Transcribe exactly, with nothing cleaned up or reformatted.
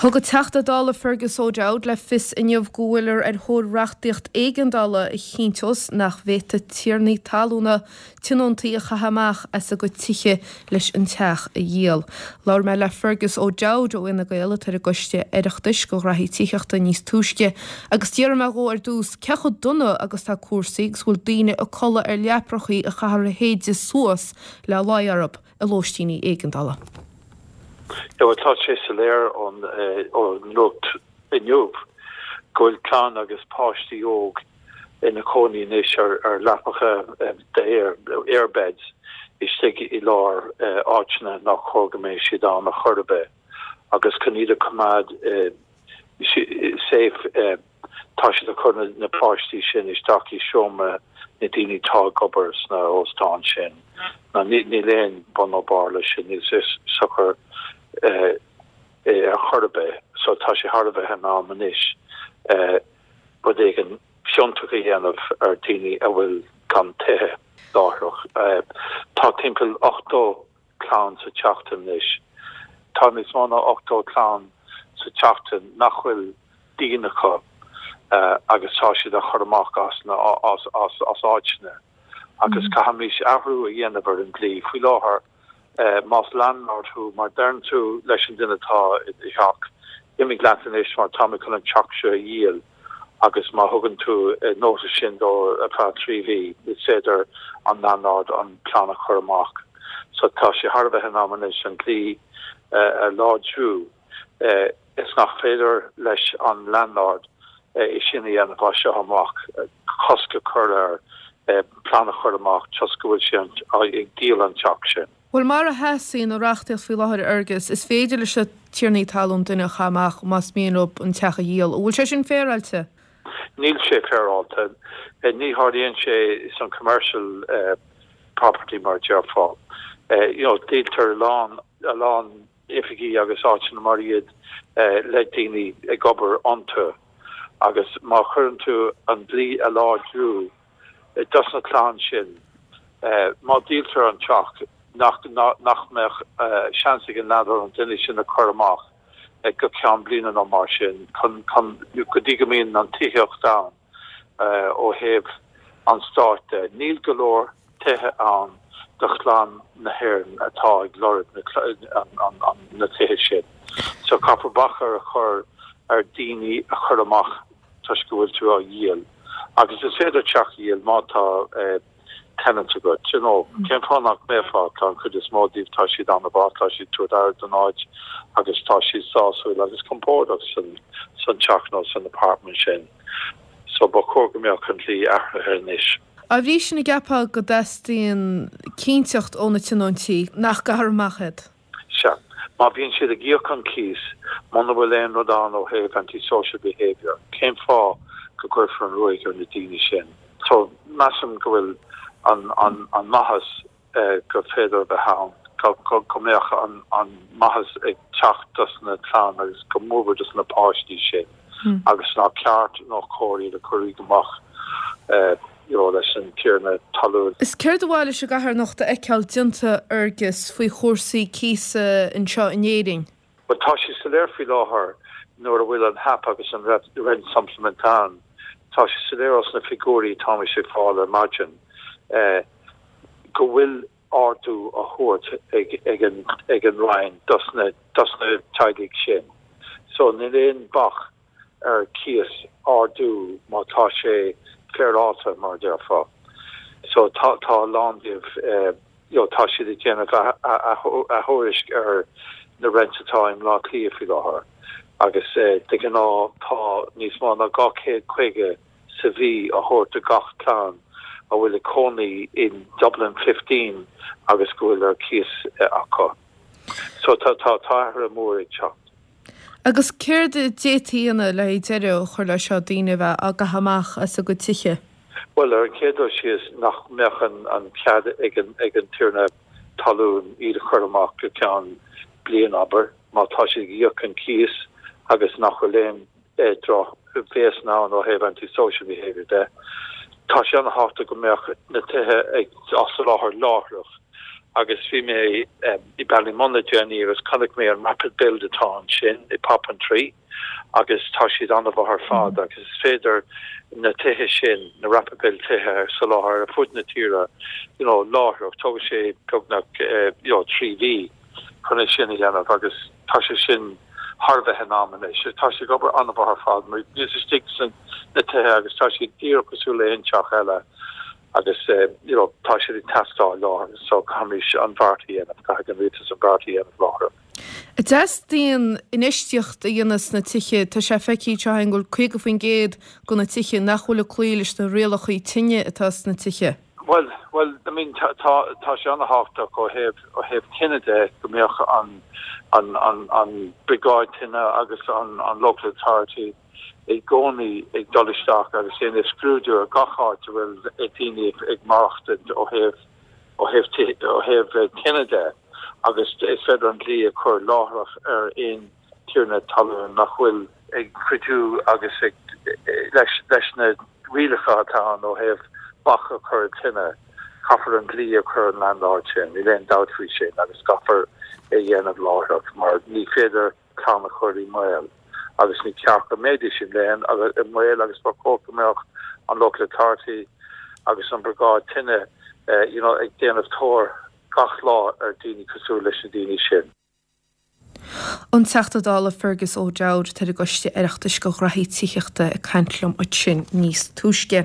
Thug an Teachta Dála Fergus O'Dowd le fios inniu go bhfuiltear ar thóir reachtaíocht éigeandála a chinnteos nach bhféadfaidh tiarnaí talúna tionóntaí a chaitheamh amach as a gcuid tithe leis an teach a dhíol. Labhair mé le Fergus O'Dowd ó Fhine Gael atá ar an gcoiste Oireachtais do ghraithí tithíochta níos túisce, agus d'iarr mé dhó ar dtús cé chomh dona agus tá cúrsaí agus bhfuil daoine ag codladh ar leaprachaí a chaithfear a shéideadh suas le luí orthu i lóistíní éigeandála. Ja, tá sé soiléir ón ón nuacht inniu go bhfuil clann agus páistí óg ina cónaí anois ar ar leapacha d'aer airbeds istigh i lár áiteanna nach chóir go mbeidh siad ann ar chor ar bith agus chun iad a choimeád safe tá siad ag cur na páistí sin isteach i seomra na daoine atá ag obair sna hóstáin sin. Na níl aon bun nó barr leis sin níl sé socair ar chor ar bith, so tá sé thar a bheith in am anois rud éigin fiúntach a dhéanamh ar daoine a bhfuil gan tithe láithreach. Tá timpeall ochtó clann sa tseachtain anois. Tá níos mó ná ochtó clann sa tseachtain nach bhfuil díon acu agus tá siad á chur amach as na as as as áiteanna. Agus caithfimid athrú a dhéanamh ar an dlí faoi láthair más landlord thú má deireann tú leis an duine atá i dteach imigh leat anois mar tá mé chun an teach seo a dhíol agus má thugann tú notice sin dó ar feadh trí mhí is féidir an landlord an clann a chur amach. So tá sé thar a bheith in am anois an dlí a láidriú is nach féidir leis an landlord é sin a dhéanamh as seo amach cosc a chur ar plean a chur amach toisc go bhfuil sé ag díol an teach sin. Bhuel mar a sheasann an reachtaíocht faoi láthair Fhergus, is féidir leis na tiarnaí talún duine a chaitheamh amach más mian leo an teach a dhíol. Bhfuil sé sin féaráilte? Níl sé féaráilte. Ní tharlaíonn sé san commercial uh, property mar déarfá. Uh, you know, díoltar lán a lán oifigí agus áiteanna mar iad uh, le daoine ag obair iontu agus má chuireann tú an dlí a láidriú dos na clann sin uh, má díoltar an teach nach nach mbeadh uh, seans ag an landlord an duine sin a chur amach ag go ceann bliana nó mar sin chun chun go dtí go mbíonn an tithíocht ann uh, ó thaobh an stáit níl go leor tithe ann do chlann na hÉireann atá ag lorg na, an, an, na tithe sin. So caithfear bac a chur ar daoine a chur amach toisc go bhfuil tú á dhíol. Agus is féidir teach a dhíol má tá uh, tenant agat you know cén fáth nach mbeifeá tá an chuid is mó díobh tá siad an-mhaith tá siad ag tabhairt aire don áit agus tá siad sásúil agus compordach san san teach nó san apartment sin. So ba chóir go mbeadh an dlí athraithe anois. A bhí sin i gceapadh go dteastaíonn cinnteacht ó na tionóntaí nach gcaithfear amach iad. Sea, má bhíonn siad ag íoc an cíos muna bhfuil aon rud ann ó thaobh antisocial behavior, cén fáth go gcuirfear an ruaig ar na daoine sin. So measaim go bhfuil an, an, an maitheas uh, go féidir bheith ann go, go, go mbeadh an, an maitheas ag teacht dos na clann agus go mór dos na páistí sin hmm. agus nach ceart nó cóir iad a chur amach uh, you leis an tiarna talún. Is céard ba mhaith leis an gCatharnacht a fheiceáil déanta Fhergus faoi chúrsaí cíosa anseo in Éirinn. Well tá sé soiléir faoi láthair nuair a bhfuil an HAP agus an rent supplement ann. Tá sé soiléir os na figiúirí tá sé fáil ar maidin. Eh, go bhfuil ardú á thabhairt ag ag an ag an Roinn dos na dos na teaghlaigh sin. So níl aon bac ar cíos ardú má tá sé féaráilte mar déarfá. So tá tá lán díobh eh, you know, tá siad ag déanamh athuairisc ar na rent atá i mBaile Átha Cliath faoi láthair. Agus eh, de ghnáth tá níos mó ná dhá chéad caoga sa mhí á thabhairt do gach clann a bhfuil ag cónaí in Dublin fifteen agus go bhfuil ar cíos eh, acu. So tá tá tá mór ag teacht. Agus céard a d'fhéadfaí a dhéanamh le deireadh a chur le seo daoine bheith á gcaitheamh amach as a gcuid tithe. Well ar an chéad dul síos nach mbeadh an, an cead ag an, ag an tiarna talún iad a chur amach go ceann bliain abair má tá siad ag íoc an cíos agus nach bhfuil aon eh, drochbhéas ann ó thaobh antisocial behavior de. Tá sé an-tábhachtach go mbeadh na tithe ag á soláthar láithreach Agus bhí mé i Ballymun le déanaí agus chonaic mé an rapid build atá ansin i Poppintree agus tá siad an-mhaith ar fad agus is féidir na tithe sin, na rapid build tithe a soláthar ar fud na tíre you know láithreach, tógann sé beagnach you know trí mhí chun é sin a dhéanamh agus tá sé sin thar a bheith in am anois. Tá sé ag obair an-mhaith ar fad mar bhíos istigh sna tithe agus tá siad díreach cosúil le haon teach eile. agus you know tá siad ag teastáil láithreach so caithfimid an beart a dhéanamh, caithfidh an rialtas an beart a dhéanamh láithreach. Teastaíonn infheistíocht a dhéanamh sna tithe, tá sé feicthe anseo go bhfuil caoga faoin gcéad de na tithe nach bhfuil ag cloí leis na rialacha tine atá sna tithe. Bhuel, bhuel, I mean tá tá sé an-thábhachtach ó thaobh ó thaobh tine de go mbeadh an an an an briogáid tine agus an an local authority i gcónaí ag dul isteach agus déanamh scrúdú ar gach áit a bhfuil daoine ag maireachtaint ó thaobh ó thaobh ó thaobh tine de agus is féidir an dlí a chur láithreach ar aon tiarna talún nach bhfuil ag cuidiú agus ag leis leis na rialacha atá ann ó thaobh bac a chur ar tine. Caithfear an dlí a chur ar an landlord sin, níl aon dabht faoi sin agus caithfear é a dhéanamh láithreach mar ní féidir clann a chur i mbaol. agus ní ceart go mbeidís i mbaol agus i mbaol agus ba chóir go mbeadh an local authority agus an briogáid tine you know ag déanamh tóir gach lá ar daoine cosúil leis na daoine sin. An Teachta Dála Fergus O'Dowd atá ar an gCoiste Oireachtais do Ghraithí Tithíochta ag caint liom ansin níos túisce.